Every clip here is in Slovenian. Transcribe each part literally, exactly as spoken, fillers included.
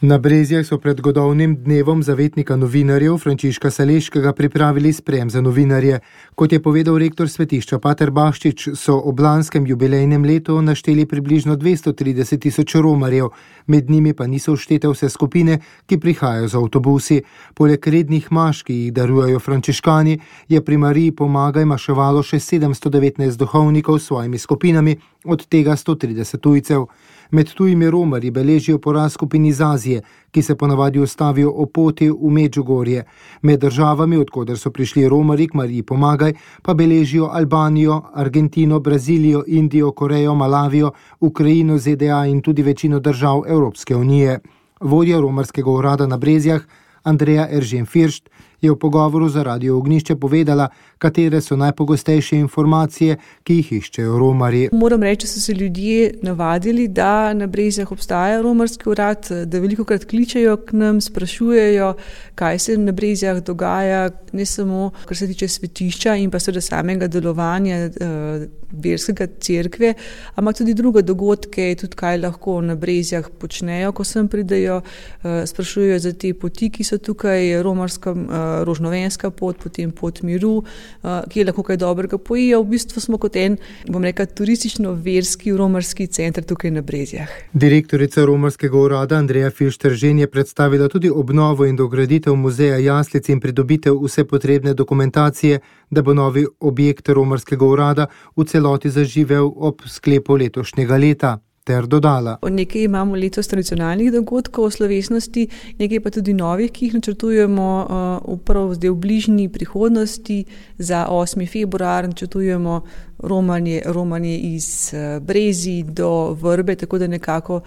Na Brezjah so pred godovnim dnevom zavetnika novinarjev Frančiška Saleškega pripravili sprejem za novinarje. Kot je povedal rektor svetišča pater Baščič, so ob lanskem jubilejnem letu našteli približno dvesto trideset tisoč romarjev, med njimi pa niso vštete vse skupine, ki prihajajo z avtobusi. Poleg rednih maš, ki jih darujejo frančiškani, je pri Mariji Pomagaj maševalo še sedemsto devetnajst duhovnikov s svojimi skupinami, od tega sto trideset tujcev. Med tujimi romarji beležijo porast skupin iz Azije, ki se ponavadi ustavijo o poti v Medžugorje. Med državami, odkoder so prišli romarji k Mariji Pomagaj, pa beležijo Albanijo, Argentino, Brazilijo, Indijo, Korejo, Malavijo, Ukrajino, Z D A in tudi večino držav Evropske unije. Vodja romarskega urada na Brezjah, Andreja Eržen Firšt, je v pogovoru za Radio Ognjišče povedala, katere so najpogostejše informacije, ki jih iščejo romarji. Moram reči, da so se ljudje navadili, da na Brezjah obstaja romarski urad, da velikokrat kličejo k nam, sprašujejo, kaj se na Brezjah dogaja, ne samo kar se tiče svetišča in pa seveda samega delovanja eh, verskega cerkve, ampak tudi druge dogodke, tudi kaj lahko na Brezjah počnejo, ko sem pridejo, eh, sprašujejo za te poti, ki so tukaj, romarska eh, rožnovenska pot, potem pot miru, ki je lahko kaj dobrega pojejo. V bistvu smo kot en, bom rekla, turistično-verski romarski center tukaj na Brezjah. Direktorica romarskega urada Andreja Firšt-Eržen je predstavila tudi obnovo in dograditev muzeja jaslic in pridobitev vse potrebne dokumentacije, da bo novi objekt romarskega urada v celoti zaživel ob sklepu letošnjega leta. Ter dodala. Nekaj imamo letos tradicionalnih dogodkov o slovesnosti, nekaj pa tudi novih, ki jih načrtujemo upravo zdaj v bližnji prihodnosti. Za osmi februar načrtujemo romanje, romanje iz Brezij do Vrbe, tako da nekako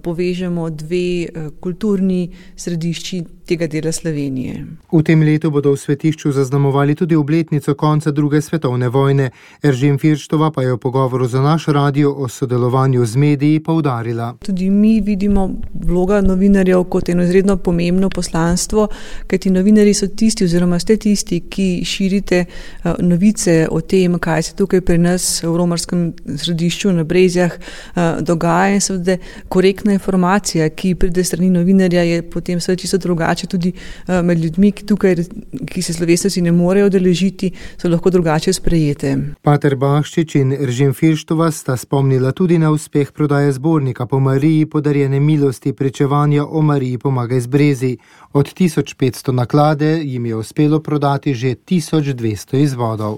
povežemo dve kulturni središči tega dela Slovenije. V tem letu bodo v svetišču zaznamovali tudi obletnico konca druge svetovne vojne. Eržen Firštova pa je v pogovoru za naš radio o sodelovanju z mediji poudarila. Tudi mi vidimo vloga novinarjev kot eno izredno pomembno poslanstvo, kajti novinarji so tisti oziroma ste tisti, ki širite novice o tem, kaj se tukaj pri nas v romarskem središču na Brezjah dogaja, in seveda korektna informacija, ki pride strani novinarja, je potem seveda čisto drugače tudi med ljudmi, ki tukaj, ki se slovesnosti ne morejo udeležiti, so lahko drugače sprejete. Pater Baščič in Eržen Firštova sta spomnila tudi na uspeh prodaje zbornika po Mariji podarjene milosti pričevanja o Mariji Pomagaj z Brezij. Od tisoč petsto naklade jim je uspelo prodati že tisoč dvesto izvodov.